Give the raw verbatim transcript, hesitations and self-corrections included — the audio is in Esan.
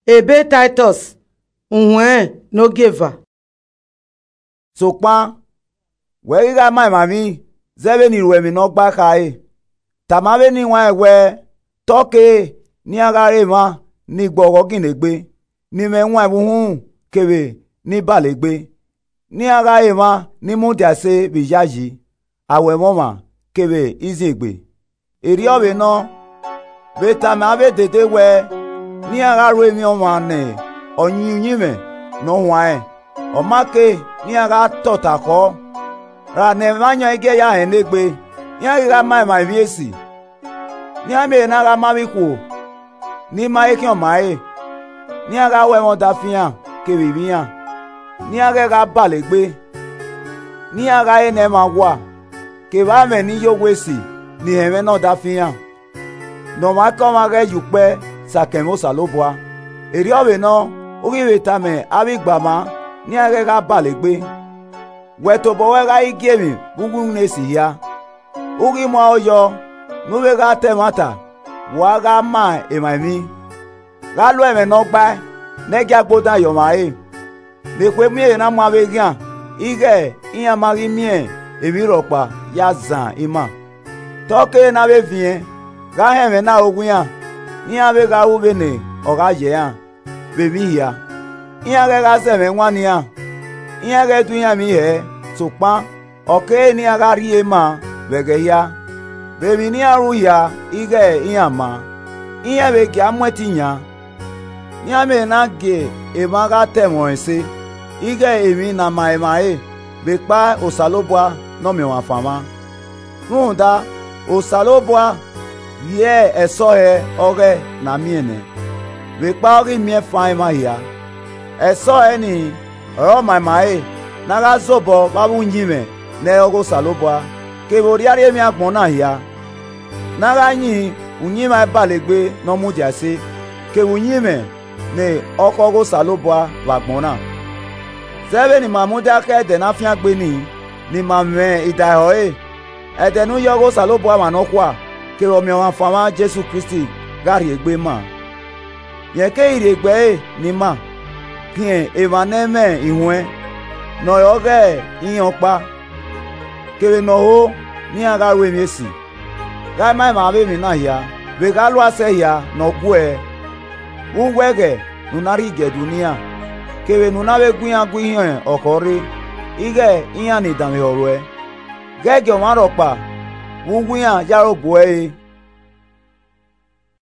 Ebe Taitọs, uhuẹn ne ogieva. Sokpan, wẹ ghi gha ma emwa emwi zẹ vbene I ru ẹmwẹ ne ọ gbae khare, tama vbene I wanrẹn wẹẹ, te ọ kere ne iran gha re emwa ni gbe ọghọ ginna egbe, ni mwẹ iwan ẹvbo uhunmwu kevbe ni bale egbe, ne iran gha re emwa ni mudia ẹse vbe iyayi, awẹ ẹmwẹ ọmwa kevbe iziengbe. Erriọ vbe nọ, vbe tama avbe dede wẹẹ, ne iran gha ru emwi ọmwa ne ọ yin uyinmwẹ ne ọ huanrẹn, ọ ma kere ne iran gha tota khọ, ra ne ẹmwẹ ayọn i gie ya hẹnnegbe, iran ghi gha ma emwa emwi esi, ne iran miẹn ehe na gha ma avbe ikhuo ni ma he khian ọmare, ne iran gha ru ẹmwẹ ọdafẹn iran kevbe ivbi iran, ne iran ghẹ gha bale egbe, ne iran gha re ne ẹmwẹ awa, kevbe amwẹ ni ye owa esi ni hẹnmwẹ ne ọdafẹn iran, ne ọmwaikọmwa ghẹ ye ukpẹ sẹ akẹn mwẹ Osanobua. Erriọ vbe nọ, u ghi vbe tama avbe igbama ne iran ghẹ gha bale egbe. Wẹ tobọ ruẹ gha ghi gie emwi vbe uwu iwinna esi hia. U ghi mu aro yọ ne u vbe gha ta ẹmwata vbe uwa gha ma emwa emwi. Gha lo ẹmwẹ ne ọ gbae, ne ẹ gia gbe odan ye ọmwa ẹre, ne ekhue miẹn ehe na mu avbe eghian ighẹ iran ma ghi miẹn emwi rhọkpa ya zan ima. Te ọ kere ne a vbe viẹn gha họn ẹmwẹ na ro iran, ne iran vbe gha ru vbene ọ gha yẹ iran vbe emwi hia. Iran ghẹ gha zẹ ẹmwẹ iwan nian, iran ghẹ du iran emwi hẹ, sokpan ọ kere ne iran gha rhie ma vbe ẹghẹ hia, vbe emwi ne iran ru hia ighẹ iran maa, iran vbe gia mu ẹtin yan. Ne iran miẹn ehe na gie emwa gha ta ẹmwẹ ọnrẹn ẹse, ighẹ emwi ne a ma emwa ẹre vbe ekpa Osanobua ne Ọmiọnmwafan mwa. Rhunmwuda, Osanobua rhie ẹsọhẹ ọghọe ne a miẹn nẹ, vbe ekpa ọ ghi miẹn fan emwa hia. Ẹsọhẹ nii ọre ọ ma emwa ẹre, ne a gha zobọ vbe avbe uyinmwẹ ne ẹ i re ọghe Osanobua, kevbe orriarria emwi agbọn na hia, ne a gha yin uyinmwẹ a i bale egbe ne ọ mudia ẹse, kevbe uyinmwẹ ne ọ khọ ọghe Osanobua vbe agbọn na. Zẹ vbene ima mudia khẹ Ẹdẹ ne a fiangbe nii, ne ima mwẹ idaehọ ẹre, Ẹdẹ ne u ye ọghe Osanobua mwa nọkhua, kevbe Ọmiọnmwafan mwa Jesu Kristi gha rhie egbe maa. Rẹn keghi rhie egbe ẹre ne ima khian emwa ne ẹ i mwẹ iruẹn, ne ọ re ọghe iran ọkpa, kevbe ne ọ ho ne iran gha ru emwi esi. Gha i ma emwa avbe emwi na hia, vbe gha lua sẹ hia ne ọ guẹ ẹe, vbe uwu ẹghẹ ne u na rhie igiẹdu ne iran, kevbe ne u na vbe gu iran gu ihiọn ọkhọ rre, ighẹ iran ni danmwehọ ruẹ. Ghẹ gie ọmwa rhọkpa vbe uwu iran ye aro gbe uẹ re.